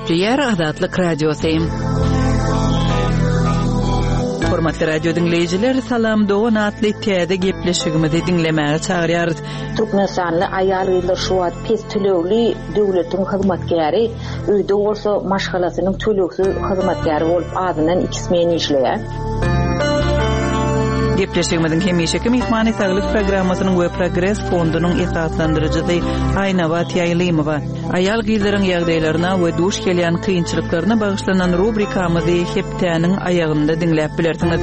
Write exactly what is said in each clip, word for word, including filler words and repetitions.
Gepleýär Azatlyk Radiosy. Hormatly radio diňleýjiler, Salam dogan atly täze gepleşigimizi diňlemäge çagyrýarys. Türkmenistanly aýal-gyzlar şu wagt pes tölegli döwletiň hyzmatkäri, öýde bolsa maşgalasynyň tölegsiz hyzmatkäri bolup azyndan iki smen işleýär. Gepleşigimiziň hemişeki myhmany Saglyk programmasynyň we Progres fondunyň esaslandyryjysy Aýnabat Ýaýlymowa. Aýal-gyzlaryň ýagdaýlaryna we duş gelýän kynçylyklaryna bagyşlanan rubrikamyzy hepdäniň aýagynda diňläp bilersiňiz.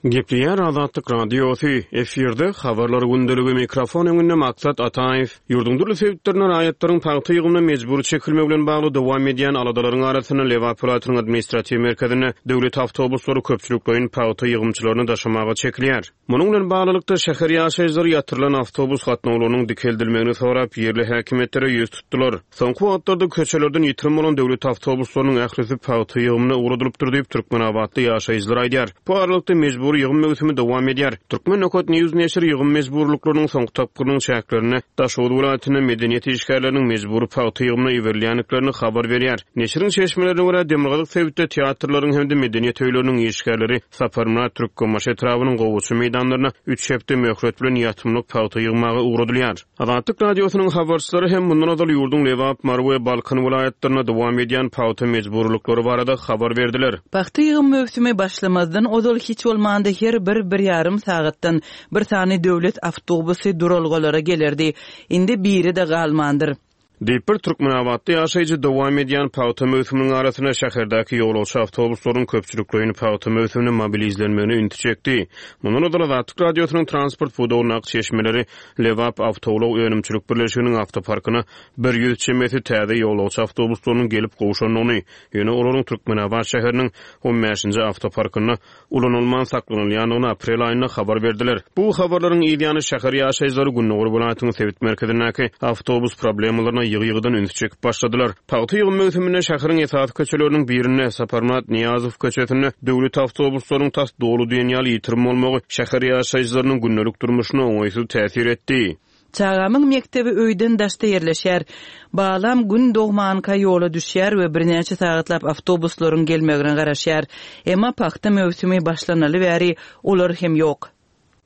Gepleýär Azatlyk Radiosy, efirde habarlar gündeligi, mikrofon öňünde Maksat Ataýew. Ýurduň dürli sebitlerinde raýatlaryň pagta ýygymyna mejbury çekilmegi bilen bagly dowam edýän aladalaryň arasynda Lebap welaýatynyň administratiw merkezinde döwlet awtobuslary köpçülikleýin pagta ýygymçylaryny daşamaga çekilýär. Munuň bilen baglylykda şäher ýaşaýjylary ýatyrylan awtobus gatnawlarynyň dikeldilmegini sorap ýerli häkimiýetlere ýüz tutdular. Soňky wagtlarda köçelerden ýitirim bolan döwlet awtobuslarynyň ählisi pagta ýygymyna ugradylypdyr diýip Türkmenabatly ýaşaýjylar aýdýar. Bu aralykda mejbury ýygym möwsümi dowam edýär. Türkmen Nokat News neşiri ýygym mejburlyklarynyň soňky tapgyrynyň çäklerinde Daşoguz welaýatynda medeniýet işgärleriniň mejbury pagta ýygymyna iberilýändiklerini habar berýär. Neşiriň çeşmelerine görä Demirgazyk sebitde teatrlaryň hem-de medeniýet öýleriniň işgärleri Saparmyrat Türkmenbaşy etrabynyň Gowaça meýdanlaryna üç hepde möhlet bilen ýatymlyk pagta ýygmaga ugradylýar. Azatlyk Radiosynyň habarçylary hem mundan ozal ýurduň Lebap, Mary we Balkan welaýatlarynda dowam edýän pagta mejburlyklary barada habar berdiler. Pagta ýygym möwsümi başlamazdan ozal hiç bolmanda her bir bir ýarym sagatdan bir sany döwlet awtobusy duralgalara gelerdi. Indi biri-de galmandyr. Diýip bir Türkmenabatly ýaşaýjy dowam edýän pagta möwsüminiň arasynda şäherdäki ýolagçy awtobuslaryň köpçülikleýin pagta möwsümine mobilizlenmegine ünsi çekdi. Mundan ozal Azatlyk Radiosynyň transport pudagyndaky çeşmeleri Lebap awtoulag önümçilik birleşiginiň awtoparkyna bir ýüz çemesi täze ýolagçy awtobuslarynyň gelip gowşandygyny, ýöne olaryň Türkmenabat şäheriniň on bäşinji awtoparkynda ulanylman saklanylýandygyny aprel aýynda habar berdiler. Bu habarlaryň ýany şäher ýaşaýjylary Gündogar welaýatynyň sebit merkezindäki awtobus problemalaryna ýygy-ýygydan ünsi çekip başladylar. Pagta ýygym möwsüminde şäheriň esasy köçeleriniň birinde Saparmyrat Nyýazow köçesinde döwlet awtobuslaryň tas doly diýen ýaly ýitirim bolmagy şäher ýaşaýjylarynyň gündelik durmuşyna oňaýsyz täsir etdi. Çagamyň mekdebi öýden daşda ýerleşýär. Balam gün dogmanka ýola düşýär we birnäçe sagatlap awtobuslaryň gelmegine garaşýar. Emma pagta möwsümi başlanaly bäri olar hem ýok.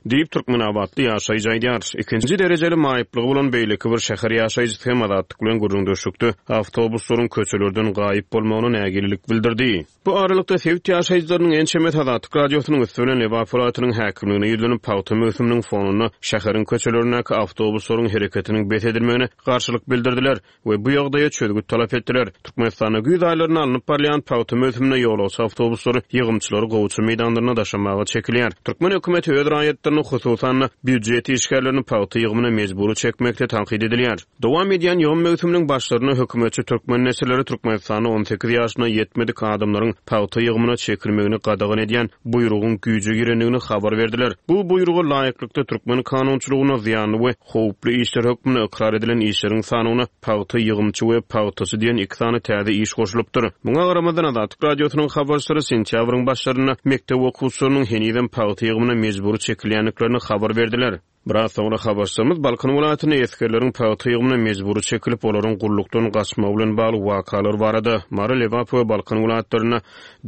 Diýip Türkmenabatly ýaşaýjy aýdýar. Ikinji derejeli maýyplygy bolan beýleki bir şäher ýaşaýjysy hem Azatlyk bilen gürrüňdeşlikde awtobuslaryň köçelerden gaýyp bolmagyna nägilelik bildirdi. Bu aralykda sebit ýaşaýjylarynyň ençemesi Azatlyk Radiosynyň üsti bilen Lebap welaýatynyň häkimligine ýüzlenip pagta möwsüminiň fonunda şäheriň köçelerindäki awtobuslaryň hereketiniň bes edilmegine garşylyk bildirdiler we bu ýagdaýa çözgüt talap etdiler. Türkmenistanda güýz aýlarynda alnyp barylýan pagta möwsüminde ýolagçy awtobuslary ýygymçylary Gowaça meýdanlaryna daşamaga çekilýär. Türkmen hökümeti öz raýatlaryny, hususan-da býujet işgärlerini pagta ýygymyna mejbury çekmekde tankyt edilýär. Dowam edýän ýygym möwsüminiň başlarynda hökümetçi türkmen neşirleri Türkmenistanda on sekiz ýaşyna ýetmedik adamlaryň pagta ýygymyna çekilmegini gadagan edýän buýrugyň güýje girendigini habar berdiler. Bu buýruga laýyklykda türkmen kanunçylygyna zyýanly we howply işler hökmünde ykrar edilen işleriň sanyna pagta ýygymçy we pagtaçy diýen iki sany täze iş goşulypdyr. Muňa garamazdan Azatlyk Radiosynyň habarçylary sentýabryň başlarynda mekdep okuwçylarynyň henizem pagta ýygymyna mejbury çekilýändiklerini habar berdiler. Biraz soňra habarçymyz Balkan welaýatynda esgerleriň pagta ýygymyna mejbury çekilip, olaryň gullukdan gaçmagy bilen bagly wakalar barada Mary, Lebap we Balkan welaýatlarynda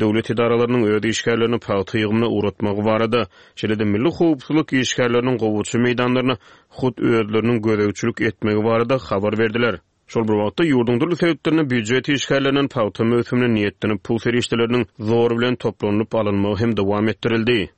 döwlet edaralarynyň öz işgärlerini pagta ýygymyna ugratmagy barada, şeýle-de milli howpsuzlyk işgärleriniň Gowaça meýdanlaryna hut özleriniň gözegçilik etmegi barada habar berdiler. Şol bir wagtda ýurduň dürli sebitlerinde býujet işgärlerinden pagta möwsümine niýetlenip pul serişdeleriniň zor bilen toplanyp alynmagy hem dowam etdirildi.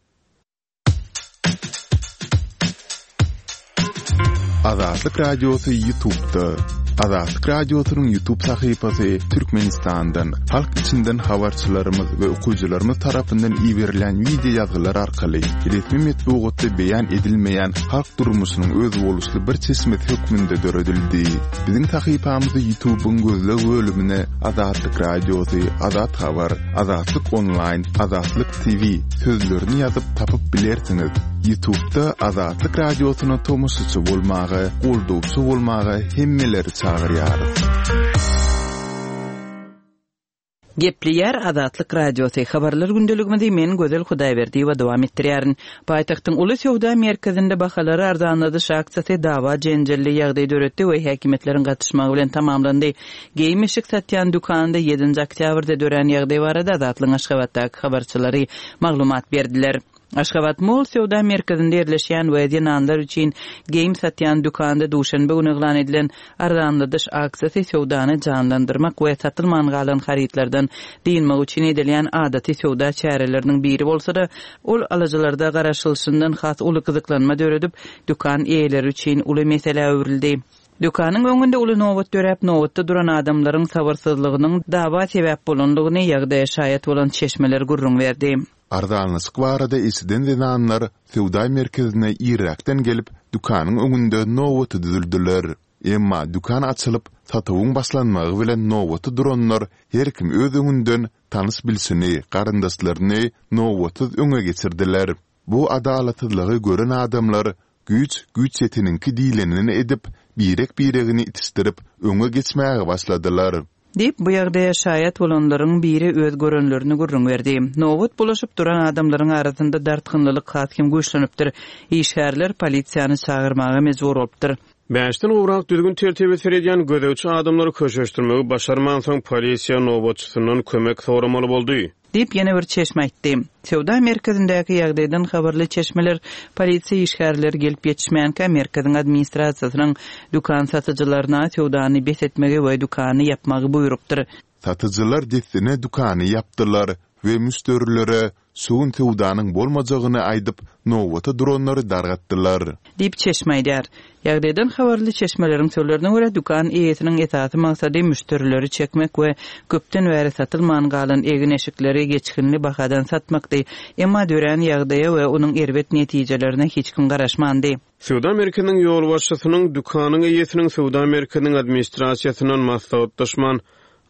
Azatlyk Radiosy YouTube'da. Azatlyk Radiosynyň YouTube sahypasy Türkmenistandan, halk içinden habarçylarymyz we okyjylarymyz tarapyndan iberilen video ýazgylar arkaly resmi metbugatda beýan edilmeýän halk durmuşynyň özboluşly bir çeşmesi hökmünde döredildi. Biziň sahypamyzy YouTube'yň gözleg bölümine Azatlyk Radiosy, Azat Habar, Azatlyk Online, Azatlyk T V sözlerini ýazyp tapyp bilersiňiz. YouTube'da Azatlyk Radiosyna tomaşaçy bolmaga, goldawçy bolmaga hemmeleri çagyrýarys. Gepleýär Azatlyk Radiosy, Habarlar gündeligimizi men Gözel Hudaýberdiýewa dowam etdirýärin. Paýtagtyň uly söwda merkezinde bahalary arzanladyş aksiýasy dawa-jenjelli ýagdaý döretdi we häkimiýetleriň gatyşmagy bilen tamamlandy. Geýim-eşik satýan dükanda ýedinji oktýabrda dörän ýagdaý barada Azatlygyň Aşgabatdaky habarçylary maglumat berdiler. Aşgabat Mall söwda merkezinde ýerleşýän we zenanlar üçin geýim satýan dükanda duşenbe güni yglan edilen arzanladyş aksiýasy söwdany janlandyrmak we satylman galan harytlardan dynmak üçin edilýän adaty söwda çäreleriniň biri bolsa-da, ol alyjylarda garaşylyşyndan has uly gyzyklanma döredip, dükan eýeleri üçin uly meselä öwrüldi. Dükanyň öňünde uly nobat döräp, nobatda duran adamlaryň sabyrsyzlygynyň dawa sebäp bolandygyny ýagdaýa şaýat bolan çeşmeler gürrüň berdi. Arzanlaşyk barada eşiden zenanlar söwda merkezine irräkden gelip, dükanyň öňünde nobata düzüldiler. Emma dükan açylyp, satuwyň başlanmagy bilen nobata duranlar her kim öz öňünden tanyş-bilşini, garyndaşlaryny nobatsyz öňe geçirdiler. Bu adalatsyzlygy gören adamlar Güýç, güýç ýeteniňki diýlenini edip, birek-biregini itişdirip, öňe geçmäge başladylar. Diýip, bu ýagdaýa şaýat bolanlaryň biri öz görenlerini gürrüň berdi. Nobat bulaşyp duran adamlaryň arasynda dartgynlylyk has hem güýçlenipdir. Işgärler polisiýany çagyrmaga mejbur bolupdyr. Bäşden gowrak düzgün-tertibe seredýän gözegçi adamlary köşeşdirmegi başarmansoň, polisiýa nobatçysyndan kömek soramaly boldy. Diýip, ýene bir çeşme aýtdy. Söwda merkezindäki ýagdaýdan habarly çeşmeler polisiýa işgärleri gelip ýetişmänkä merkeziň administrasiýasynyň dükan satyjylaryna söwdany bes etmegi we dükany ýapmagy buýrupdyr. Satyjylar dessine dükany ýapdylar we müşderilere şu gün söwdanyň bolmajagyny aýdyp, nobata duranlary dargatdylar. Diýip, çeşme aýdýar. Ýagdaýdan habarly çeşmeleriň sözlerine görä, dükan eýesiniň esasy maksady müşderileri çekmek we köpden bäri satylman galan egin-eşikleri geçginli bahadan satmakdy. Emma dörän ýagdaýa we onuň erbet netijelerine hiç kim garaşmandy. Söwda merkeziniň ýolbaşçysynyň dükanyň eýesiniň söwda merkeziniň administrasiýasyndan maslahatlaşman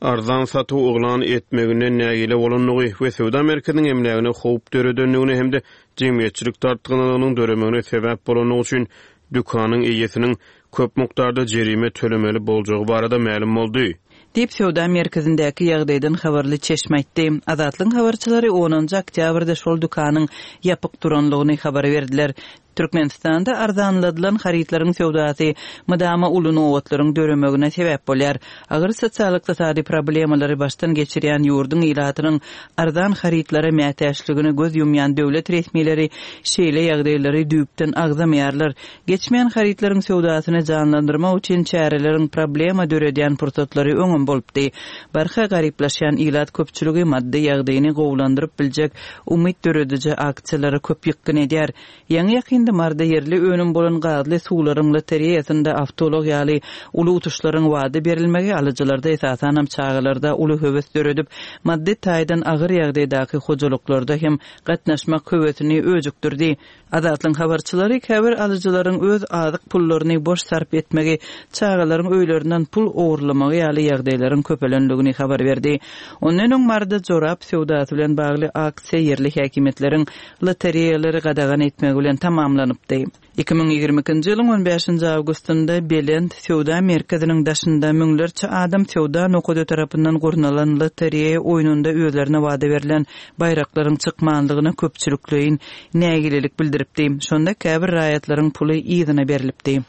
arzan satuw yglan etmeginden nägile bolandygy we söwda merkeziniň emlägine howp döredendigini hem-de jemgyýetçilik dartgynlygynyň döremegine sebäp bolandygy üçin dükanyň eýesiniň köp mukdarda jerime tölemeli boljagy barada mälim boldy. Diýip, söwda merkezindäki ýagdaýdan habarly çeşme aýtdy. Azatlygyň habarçylary onunjy oktýabrda şol dükanyň ýapyk duranlygyny habar berdiler. Türkmenistanda arzanladylan harytlaryň söwdasy mydama uly nobatlaryň döremegine sebäp bolýar. Agyr sosial-ykdysady problemalary başdan geçirýän ýurduň ilatynyň arzan harytlara mätäçligine göz ýumýan döwlet resmileri şeýle ýagdaýlary düýpden agzamaýarlar. Geçmeýän harytlaryň söwdasyny janlandyrmak üçin çäreleriň problema döredýän pursatlary öňem bolupdy. Barha garyplaşýan ilat köpçüligi maddy ýagdaýyny gowulandyryp biljek umyt dörediji aksiýalara köp ýykgyn edýär. Ýaňy-ýakynda Maryda ýerli önüm bolan gazly suwlaryň lotereýasynda awtoulag ýaly uly utuşlaryň wada berilmegi alyjylarda, esasanam çagalarda uly höwes döredip, maddy taýdan agyr ýagdaýdaky hojalyklarda hem gatnaşmak höwesini öjükdirdi. Azatlygyň habarçylary käbir alyjylaryň öz azyk pullaryny boş sarp etmegi, çagalaryň öýlerinden pul ogurlamagy ýaly ýagdaýlaryň köpelendigini habar berdi. Ondan öň Maryda jorap söwdasy bilen bagly aksiýa ýerli häkimiýetleriň lotereýalary gadagan etmegi bilen tamamlanypdy. Iki müň ýigrimi ikinji ýylyň on bäşinji awgustynda Belent söwda merkeziniň daşynda müňlerçe adam söwda nokady tarapyndan gurnalan lotereýa oýnunda özlerine wada berlen baýraklaryň çykmanlygyna köpçülikleýin nägilelik bildiripdi. Şonda käbir raýatlaryň puly yzyna berlipdi.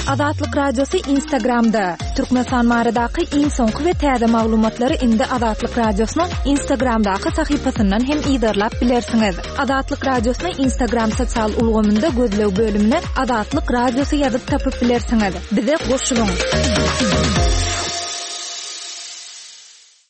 Azatlyk Radiosy Instagramda. Türkmenistan baradaky iň soňky we täze maglumatlary indi Azatlyk Radiosynyň Instagramdaky sahypasyndan hem yzarlap bilersiňiz. Azatlyk Radiosyny Instagram sosial ulgamynda gözleg bölümine Azatlyk Radiosy ýazyp tapyp bilersiňiz. Bize goşulyň!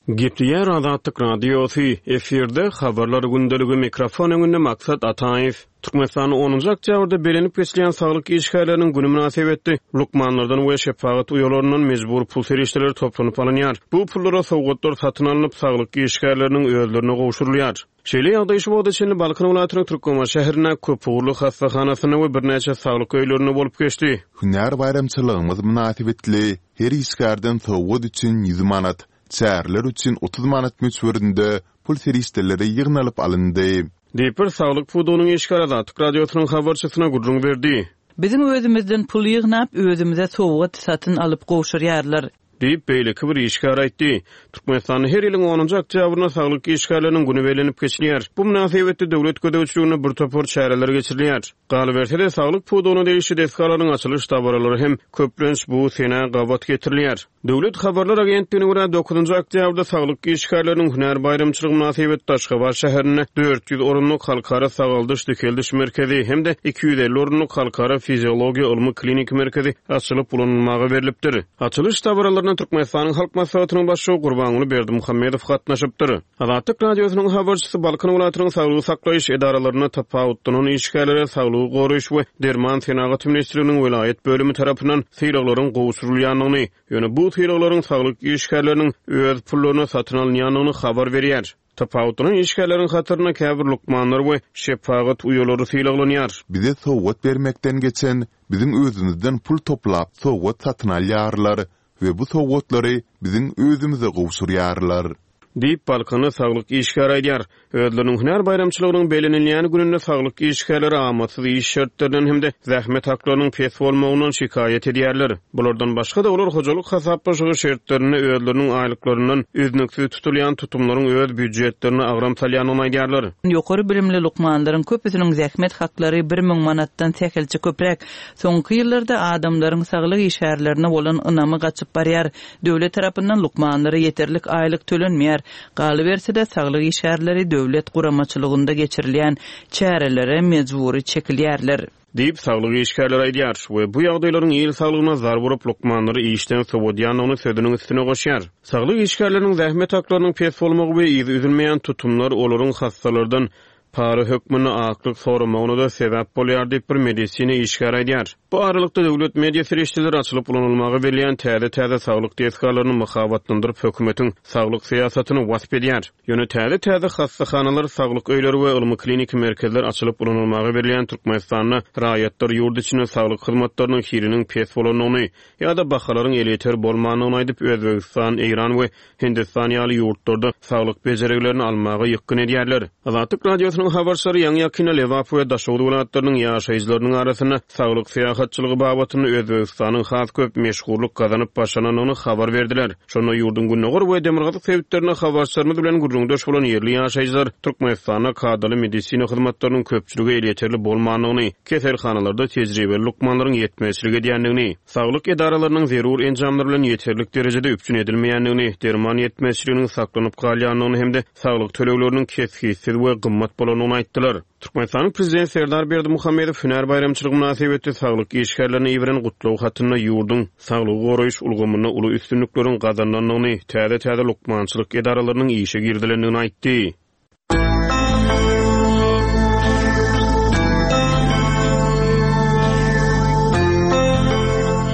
Gepleýär Azatlyk Radiosy, efirde Habarlar gündeligi, mikrofon öňünde Maksat Ataýew. Türkmenistanda onunjy oktýabrda bellenip geçilýän saglyk işgärleriniň güni mynasybetli lukmanlardan we şepagat uýalaryndan mejbury pul serişdeleri toplanyp alynýar. Bu pullara sowgatlar satyn alnyp, saglyk işgärleriniň özlerine gowşurylýar. Şeýle ýagdaý şu wagta çenli Balkan welaýatynyň Türkmenbaşy şäherindäki köpugurly hassahanasynda we birnäçe saglyk öýlerinde bolup geçdi. Hünär baýramçylygymyz mynasybetli her işgärden sowgat üçin ýüz manat, çäreler üçin otuz manat möçberinde pul serişdeleri ýygnalyp alyndy. Diýip, bir saglyk pudagynyň işgäri Azatlyk Radiosynyň habarçysyna gürrüň berdi. Biziň özümizden pul ýygnap, özümize sowgat satyn alyp gowşurýarlar. Diýip, beýleki bir işgär aýtdy. Türkmenistanda her ýylyň onunjy oktýabrynda saglyk işgärleriniň güni bellenip geçilýär. Bu mynasybetli döwlet gözegçiliginde bir topar çäreler geçirilýär. Galyberse-de, saglyk pudagyna degişli desgalaryň açylyş dabaralary hem köplenç bu senä gabat getirilýär. Döwlet habarlar agentligine görä, dokuzynjy oktýabrda saglyk işgärleriniň hünär baýramçylygy mynasybetli Aşgabat şäherinde dört ýüz orunlyk Halkara sagaldyş-dikeldiş merkezi hem-de iki ýüz elli orunlyk Halkara fiziologiýa ylmy-kliniki merkezi açylyp ulanylmaga berlipdir. Açylyş dabaralaryna Türkmenistanyň Halk Maslahatynyň Başlygy Gurbanguly Berdimuhamedow gatnaşypdyr. Azatlyk Radiosynyň habarçysy Balkan welaýatynyň saglygy saklaýyş edaralarynda tapawutlanan işgärlere Saglygy goraýyş we derman senagaty ministrliginiň welaýat bölümi tarapyndan sylaglaryň gowşurylýandygyny, ýöne bu sylaglaryň saglyk işgärleriniň öz pullaryna satyn alynýandygyny habar berýär. Tapawutlanan işgärleriň hatarynda käbir lukmanlar we şepagat uýalary sylaglanýar. Bize sowgat bermekden geçen, biziň özümizden pul toplap sowgat satyn alýarlar we bu sowgatlary biziň özümize gowşurýarlar. Diýip, balkanly saglyk işgäri aýdýar. Özleriniň hünär baýramçylygynyň bellenilýän gününde saglyk işgärleri amatsyz iş şertlerinden hem-de zähmet haklarynyň pes bolmagyndan şikaýat edýärler. Bulardan başga-da, olar hojalyk hasaplaşygy şertlerinde özleriniň aýlyklaryndan üznüksiz tutulýan tutumlaryň öz býujetlerine agram salýandygyny aýdýarlar. Ýokary bilimli lukmanlaryň köpüsiniň zähmet haklary bir müň manatdan sähelçe köpräk. Soňky ýyllarda adamlaryň saglyk işgärlerine bolan ynamy gaçyp barýar. Döwlet tarapyndan lukmanlara ýeterlik aýlyk tölenmeýär. Galyberse-de, saglyk işgärleri döwlet guramaçylygynda geçirilýän çärelere mejbury çekilýärler. Diýip, saglyk işgärleri aýdýar we bu ýagdaýlaryň il saglygyna zarba urup, lukmanlary işden sowadýandygyny sözüniň üstüne goşýar. Saglyk işgärleriniň zähmet haklarynyň pes bolmagy we yzy üzülmeýän tutumlar olaryň hassalardan para hökmünde aklyk soramagyna-da sebäp bolýar diýip, bir medisina işgäri aýdýar. Bu aralykda, döwlet media serişdeleri açylyp ulanylmaga berilýän täze-täze saglyk desgalaryny mahabatlandyryp, hökümetiň saglyk syýasatyny wasp edýär. Ýöne täze-täze hassahanalar, saglyk öýleri we ylmy-kliniki merkezler açylyp ulanylmaga berilýän Türkmenistanda raýatlar ýurt içinde saglyk hyzmatlarynyň hiliniň pes bolandygyny ýa-da bahalaryň elýeter bolmandygyny aýdyp, Özbegistan, Eýran we Hindistan ýaly ýurtlarda saglyk bejergilerini almaga ýykgyn edýärler. Azatlyk Radiosynyň habarçylary ýaňy-ýakynda Lebap we Daşoguz welaýatlarynyň ýaşaýjylarynyň arasynda saglyk syýahatçylygy babatynda Özbegistanyň has köp meşhurlyk gazanyp başlanandygyny habar berdiler. Şonda ýurduň gündogar we demirgazyk sebitlerinde habarçylarymyz bilen gürrüňdeş bolan ýerli ýaşaýjylar Türkmenistanda kadaly medisina hyzmatlarynyň köpçülige elýeterli bolmandygyny, keselhanalarda tejribeli lukmanlaryň ýetmezçilik edýändigini, saglyk edaralarynyň zerur enjamlar bilen ýeterlik derejede üpjün edilmeýändigini, derman ýetmezçiliginiň saklanyp galýandygyny hem-de saglyk tölegleriniň kesgitsiz we gymmat bolandygyny aýtdylar. Türkmenistanyň Prezidenti Serdar Berdimuhamedow hünär baýramçylygy mynasybetli saglyk işgärlerine iberen gutlag hatynda ýurduň saglygy goraýyş ulgamynda uly üstünlikleriň gazanylandygyny, täze-täze lukmançylyk edaralarynyň işe girizilendigini aýtdy.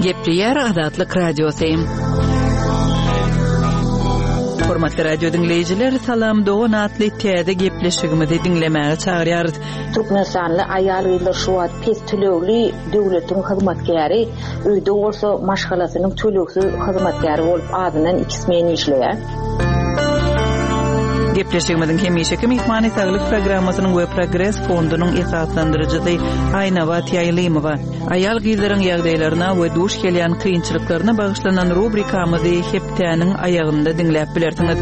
Gepleýär Azatlyk Radiosy. Hormatly radio diňleýjiler, Salam dogan atly täze gepleşigimizi diňlemäge çagyrýarys. Türkmenistanly aýal-gyzlar şu wagt pes tölegli döwletiň hyzmatkäri, öýde bolsa maşgalasynyň tölegsiz hyzmatkäri bolup azyndan iki smen işleýär. Gepleşigimiziň hemişeki myhmany Saglyk programmasynyň we Progres fondunyň esaslandyryjysy Aýnabat Ýaýlymowa. Aýal-gyzlaryň ýagdaýlaryna we duş gelýän kynçylyklaryna bagyşlanan rubrikamyzy hepdäniň aýagynda diňläp bilersiňiz.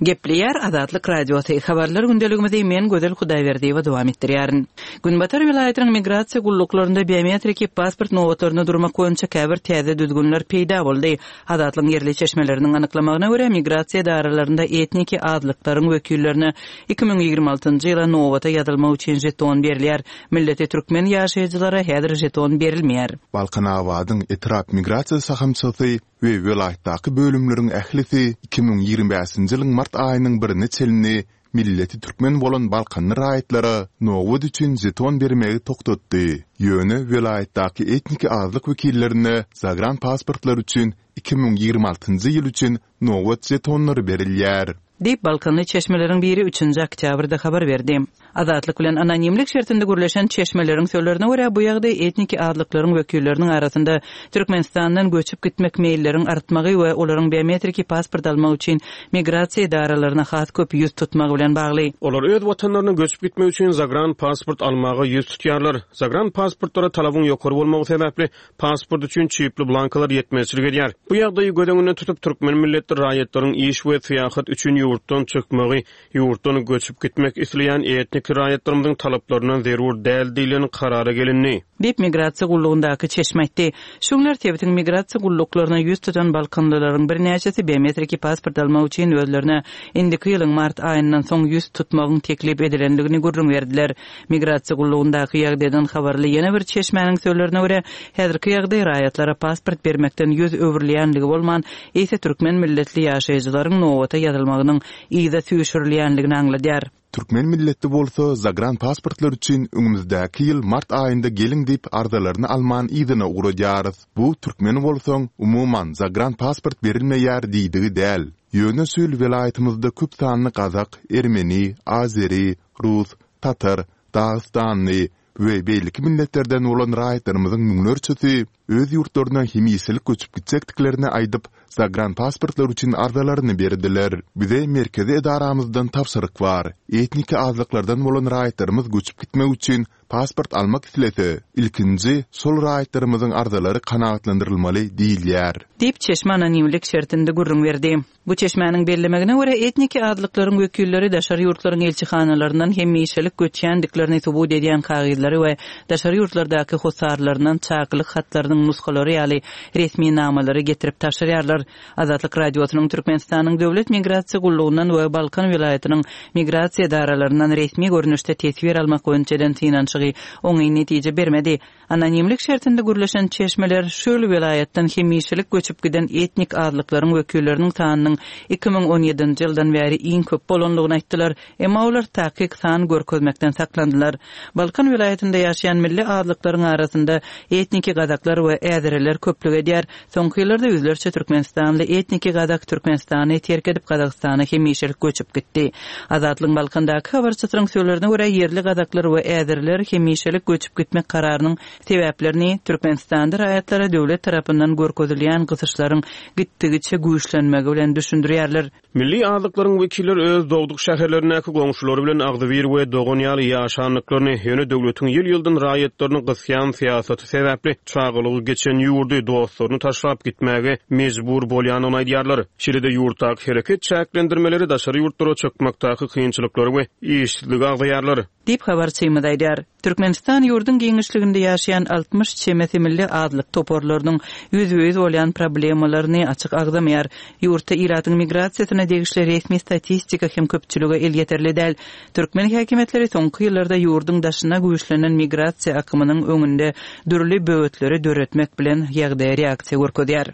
Gepleýär Azatlyk Radiosy. Habarlar gündeligimizi men Gözel Hudaýberdiýewa dowam etdirýärin. Günbatar welaýatynyň migrasiýa gulluklarynda biometriki pasport nobatlaryna durmak boýunça käbir täze düzgünler peýda boldy. Azatlygyň ýerli çeşmeleriniň anyklamagyna görä, migrasiýa edaralarynda etniki azlyklaryň wekillerine iki müň ýigrimi altynjy ýyla nobata ýazylmak üçin žeton berilýär. Milleti türkmen ýaşaýjylara häzir žeton berilmeýär. Balkanabadyň etrap migrasiýa şahamçasy we welaýatdaky bölümleriň ählisi iki müň ýigrimi bäşinji ýylyň mart aýynyň birine çenli milleti türkmen bolan balkanly raýatlara nobat üçin žeton bermegi togtatdy. Ýöne welaýatdaky etniki azlyk wekillerine zagran pasportlar üçin iki müň ýigrimi altynjy ýyl üçin nobat žetonlary berilýär. Diýip, balkanly çeşmeleriň biri üçünji oktýabrda habar berdi. Azatlyk bilen anonimlik şertinde gürleşen çeşmeleriň sözlerine görä, bu ýagdaý etniki azlyklaryň wekilleriniň arasynda Türkmenistandan göçüp gitmek meýilleriň artmagy we olaryň biometriki pasport almak üçin migrasiýa edaralaryna has köp ýüz tutmagy bilen bagly. Olar öz watanlaryna göçüp gitmek üçin zagran pasport almaga ýüz tutýarlar. Zagran pasportlara talabyň ýokary bolmagy sebäpli pasport üçin çipli blankalar ýetmezçilik edýär. Bu ýagdaýy göz öňünde tutup, türkmen milletli raýatlaryň iş we syýahat üçin ýurtdan çykmagy, ýurtdan göçüp gitmek isleýän etniki raýatlarymyzyň talaplaryndan zerur däl diýlen karara gelindi. Diýip, migrasiýa gullugyndaky çeşme aýtdy. Şu günler sebitiň migrasiýa gulluklaryna ýüz tutan balkanlylaryň birnäçesi biometriki pasport almak üçin özlerine indiki ýylyň mart aýyndan soň ýüz tutmagyň teklip edilendigini gürrüň berdiler. Migrasiýa gullugyndaky ýagdaýdan habarly ýene bir çeşmäniň sözlerine görä, häzirki ýagdaý raýatlara pasport bermekden ýüz öwrülýänligi bolman, eýse türkmen milletli ýaşaýjylaryň nobata ýazylmagynyň yza süýşürilýänligini aňladýar. Türkmen milletli bolsa zagran pasportlar üçin öňümizdäki ýyl mart aýynda geliň diýip arzalaryny alman yzyna ugradýarys. Bu türkmen bolsaň, umuman zagran pasport berilmeýär diýdigi däl. Ýöne şu ýyl welaýatymyzda köp sanly gazak, ermeni, azeri, rus, tatar, dagystanly we beýleki milletlerden bolan raýatlarymyzyň müňlerçesi öz ýurtlaryna hemişelik göçüp gitjekdiklerini aýdyp, zagran pasportlar üçin arzalaryny berdiler. Bize merkezi edaramyzdan tabşyryk bar. Etniki azlyklardan bolan raýatlarymyz göçüp gitmek üçin pasport almak islese, ilkinji şol raýatlarymyzyň arzalary kanagatlandyrylmaly diýilýär. Diýip, çeşme anonimlik şertinde gürrüň berdi. Bu çeşmäniň bellemegine görä, etniki azlyklaryň wekilleri daşary ýurtlaryň elçihanalaryndan hemişelik göçýändiklerini subut edýän kagyzlary we daşary ýurtlardaky hossarlaryndan çakylyk hatlarynyň nusgalary ýaly resminamalary getirip tabşyrýarlar. Azatlyk Radiosynyň Türkmenistanyň Döwlet migrasiýa gullugyndan we Balkan welaýatynyň migrasiýa edaralaryndan resmi görnüşde teswir almak boýunça eden synanyşygy oňyn netije bermedi. Anonimlik şertinde gürleşen çeşmeler şu ýyl welaýatdan hemişelik göçüp giden etnik azlyklaryň wekilleriniň sanynyň iki müň on ýedinji ýyldan bäri iň köp bolandygyny aýtdylar, emma olar takyk san görkezmekden saklandylar. Balkan welaýatynda ýaşaýan milli azlyklaryň arasynda etniki gazaklar we äzeriler köplük edýär. Soňky ýyllarda ýüzlerçe türkmenistanly etniki gazak Türkmenistany terk edip Gazagystana hemişelik göçüp gitdi. Azatlygyň Balkandaky habarçysynyň sözlerine görä, ýerli gazaklar we äzeriler hemişelik göçüp gitmek kararynyň sebäplerini Türkmenistanda raýatlara döwlet tarapyndan görkezilýän gysyşlaryň gitdigiçe güýçlenmegi bilen düşündirýärler. Milli azlyklaryň wekilleri öz dogduk şäherlerindäki goňşulary bilen agzybir we dogan ýaly ýaşandyklaryny, ýöne döwletiň ýyl-ýyldan raýatlaryny gysýan syýasaty sebäpli çagalygy geçen ýurdy dostlaryny taşlap gitmäge mejbur bolýandygyny aýdýarlar. Şeýle-de ýurtdaky hereket çäklendirmeleri daşary ýurtlara çykmakdaky kynçylyklary we işsizligi agzaýarlar. Diýip habarçymyz aýdýar. Türkmenistan ýurduň giňişliginde ýaşaýan altmyş çemesi milli azlyk toparlarynyň ýüzbe-ýüz bolýan problemalaryny açyk agzamaýar. Ýurtda ilatyň migrasiýasyna degişli resmi statistika hem köpçülige elýeterli däl. Türkmen häkimiýetleri soňky ýyllarda ýurduň daşyna güýçlenen migrasiýa akymynyň öňünde dürli böwetleri döretmek bilen ýagdaýa reaksiýa görkezýär.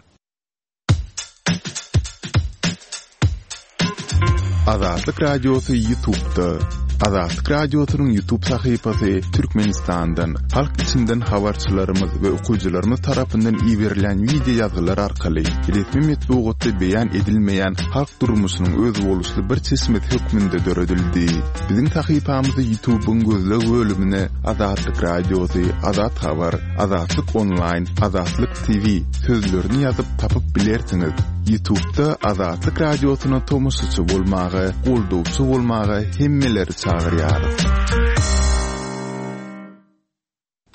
Azatlyk Radiosy YouTube'da. Azatlyk Radiosynyň YouTube sahypasy Türkmenistandan, halk içinden habarçylarymyz we okyjylarymyz tarapyndan iberilýän wideo ýazgylar arkaly resmi metbugatda beýan edilmeýän halk durmuşynyň özboluşly bir çeşmesi hökmünde döredildi. Biziň sahypamyzy YouTube'yň gözleg bölümine Azatlyk Radiosy, Azat Habar, Azatlyk Online, Azatlyk T V sözlerini ýazyp tapyp bilersiňiz. YouTube'da Azatlyk Radiosyna tomaşaçy bolmaga, goldawçy bolmaga hemmeleri çagyrýarys.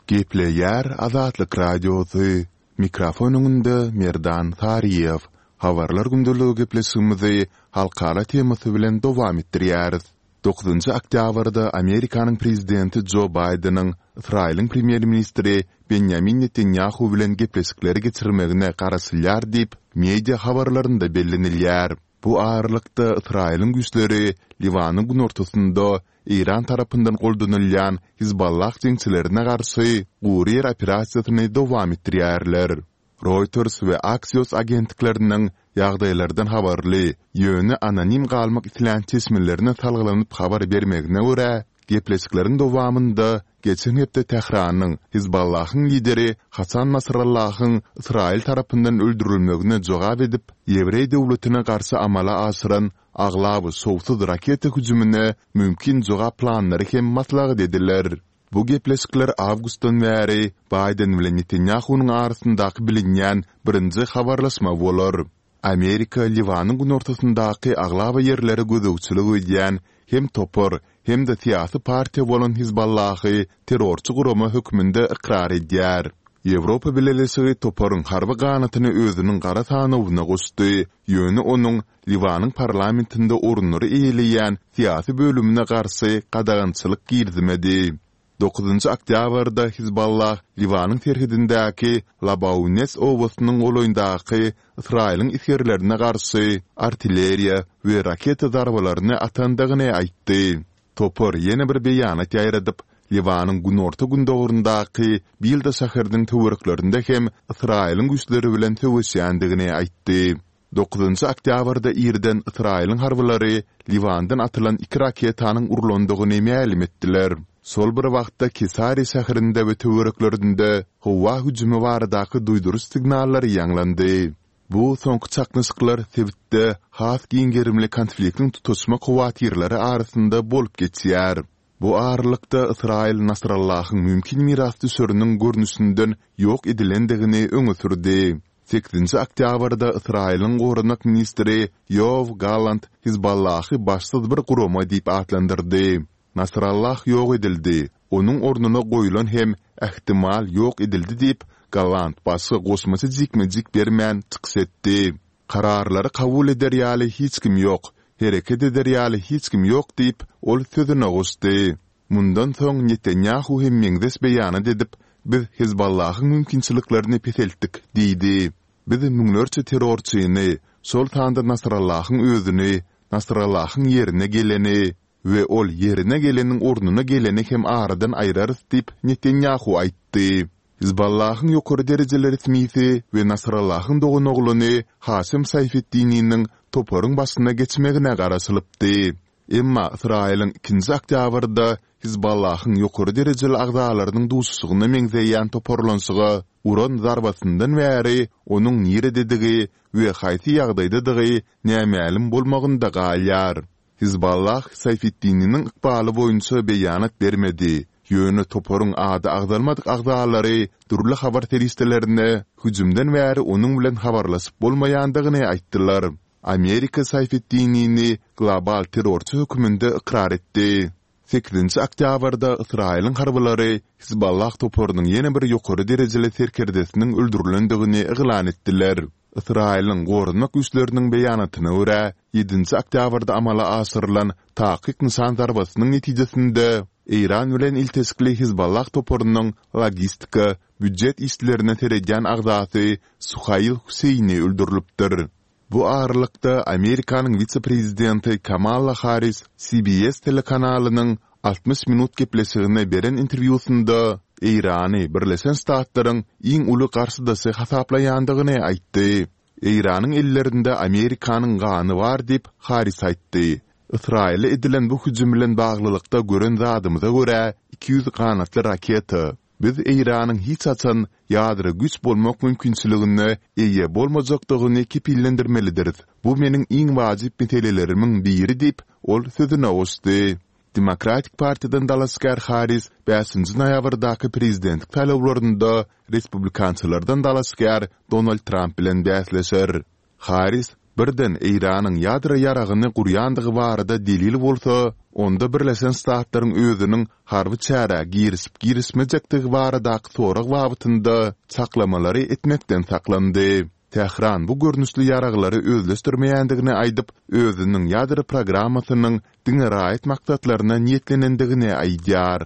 Gepleýär Azatlyk Radiosy. Mikrofon öňünde Merdan Saryýew. Habarlar gündeligi gepleşigimizi halkara temasy bilen dowam etdirýäris. Dokuzynjy oktýabrda Amerikanyň prezidenti Jo Baýdeniň Ysraýylyň premýer-ministri Benjamin Netanyahu bilen gepleşikleri geçirmegine garaşylýar diýip, media habarlarynda bellenilýär. Bu aralykda Ysraýylyň güýçleri Liwanyň günortasynda Eýran tarapyndan goldanylýan Hizballah jeňçilerine garşy gury ýer operasiýasyny dowam etdirýärler. Reuters we Axios agentlikleriniň ýagdaýlardan habarly, ýöne anonim galmak islän çeşmelerine salgylanyp habar bermegine görä, gepleşikleriň dowamynda geçen hepde Tähranyň Hizballahyň lideri Hasan Nasrallahyň Ysraýyl tarapyndan öldürilmegine jogap edip, Ýewreý döwletine garşy amala aşyran aglaba şowsuz raketa hüjümine mümkin jogap planlary hem maslahat ediler. Bu gepleşikler awgustdan bäri Baýden bilen Netanýahunyň arasyndaky bilinýän birinji habarlaşma bolar. Amerika Liwanyň günortasyndaky aglaba ýerlere gözegçilik edýän hem topar, hem-de syýasy partiýa bolan Hizballahy terrorçy gurama hökmünde ykrar edýär. Ýewropa Bileleşigi toparyň harby ganatyny özüniň gara sanawyna goşdy, ýöne onuň Liwanyň parlamentinde orunlary eýeleýän syýasy bölümine garşy gadagançylyk girizmedi. Dokuzynjy oktýabrda Hizballah Liwanyň serhedindäki Labaunes obasynyň golaýyndaky Ysraýylyň esgerlerine garşy artilleriýa we raketa zarbalaryny atandygyny aýtdy. Topar ýene bir beýanat ýaýradyp, Liwanyň günorta-gündogaryndaky Bilda şäheriniň töwereklerinde hem Ysraýylyň güýçleri bilen söweşýändigini aýtdy. Dokuzynjy oktýabrda irden Ysraýylyň harbylary Liwandan atylan iki raketanyň urlandygyny mälim etdiler. Şol bir wagtda Kesariýa şäherinde we töwereklerinde howa hüjümi baradaky duýduryş signallary ýaňlandy. Bu soňky çaknyşyklar sebitde has giň gerimli konfliktiň tutaşmak howatyrlary arasynda bolup geçýär. Bu aralykda Ysraýyl Nasrallahyň mümkin mirasdüşeriniň görnüşinden ýok edilendigini öňe sürdi. Sekizinji oktýabrda Ysraýylyň goranmak ministri Ýoaw Gallant Hizballahy başsyz bir gurama diýip atlandyrdy. Nasrallah ýok edildi, onuň ornuna goýlan hem, ähtimal, ýok edildi diýip, Gallant başga goşmaça jikme-jik bermän çykyş etdi. Kararlary kabul eder ýaly hiç kim ýok, hereket eder ýaly hiç kim ýok diýip, ol sözüne goşdy. Mundan soň Netanýahu hem meňzeş beýanat edip, Biz Hezbollahyň mümkinçiliklerini peseltdik diýdi. Biz müňlerçe terrorçyny, şol sanda Nasrallahyň özüni, Nasrallahyň ýerine geleni we ol ýerine geleniň ornuna geleni hem aradan aýrarys diýip, Netanýahu aýtdy. Hezbollahyň ýokary derejeli resmisi we Nasrallahyň doganoglany Haşem Saýfeddininiň toparyň başyna geçmegine garaşylypdy. Emma Ysraýylyň ikinji oktýabrda Hizballahyň ýokary derejeli agzalarynyň duşuşygyna meňzeýän toparlanyşyga uran zarbasyndan bäri onuň nirededigi we haýsy ýagdaýdadygy nämälim bolmagynda galýar. Hizballah Saýfeddininiň ykbaly boýunça beýanat bermedi, ýöne toparyň ady agzalmadyk agzalary dürli habar serişdelerine hüjümden bäri onuň bilen habarlaşyp bolmaýandygyny aýtdylar. Amerika Saýfetdinini global terrorçy hökmünde ykrar etdi. Sekizinji oktýabrda Ysraýylyň harbylary Hizballah toparynyň ýene bir ýokary derejeli serkerdesiniň öldürilendigini yglan etdiler. Ysraýylyň Goranmak güýçleriniň beýanatyna görä, ýedinji oktýabrda amala aşyrylan takyk nyşan zarbasynyň netijesinde Eýran bilen ilteşikli Hizballah toparynyň logistika, býujet işlerine seredýän agzasy Suhail Huseýni öldürilipdir. Bu aralykda, Amerikanyň wise-prezidenti Kamala Harris C B S telekanalynyň altmyş minut gepleşigine beren interwýusynda Eýrany Birleşen Ştatlaryň iň uly garşydaşy hasaplaýandygyny aýtdy. Eýranyň ellerinde Amerikanyň gany bar diýip, Harris aýtdy. Ysraýyla edilen bu hüjüm bilen baglylykda gören zadymyza görä, iki ýüz ganatly raketa. Biz Eýranyň hiç haçan ýadro güýç bolmak mümkinçiligine eýe bolmajakdygyny kepillendirmelidiris. Bu meniň iň wajyp meselelerimiň biri diýip, ol sözüne goşdy. Demokratik partiýadan dalaşgär Harris bäşinji noýabrdaky prezidentlik saýlawlarynda respublikançylardan dalaşgär Donald Tramp bilen bäsleşer. Harris, Birden Eýranyň ýadro ýaragyny gurýandygy barada delil bolsa, onda Birleşen Ştatlaryň özüniň harby çärä girişip-girişmejekdigi baradaky sorag babatynda çaklamalary etmekden saklandy. Tähran bu görnüşli ýaraglary özleşdirmeýändigini aýdyp, özüniň ýadro programmasynyň diňe raýat maksatlaryna niýetlenendigini aýdýar.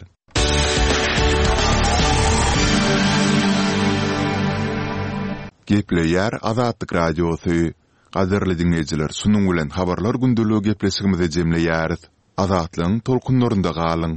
Gepleýär Azatlyk Radiosy. Gadyrly diňleýjiler, şunuň bilen Habarlar gündeligi gepleşigimizi jemleýäris. Azatlygyň tolkunlarynda galyň!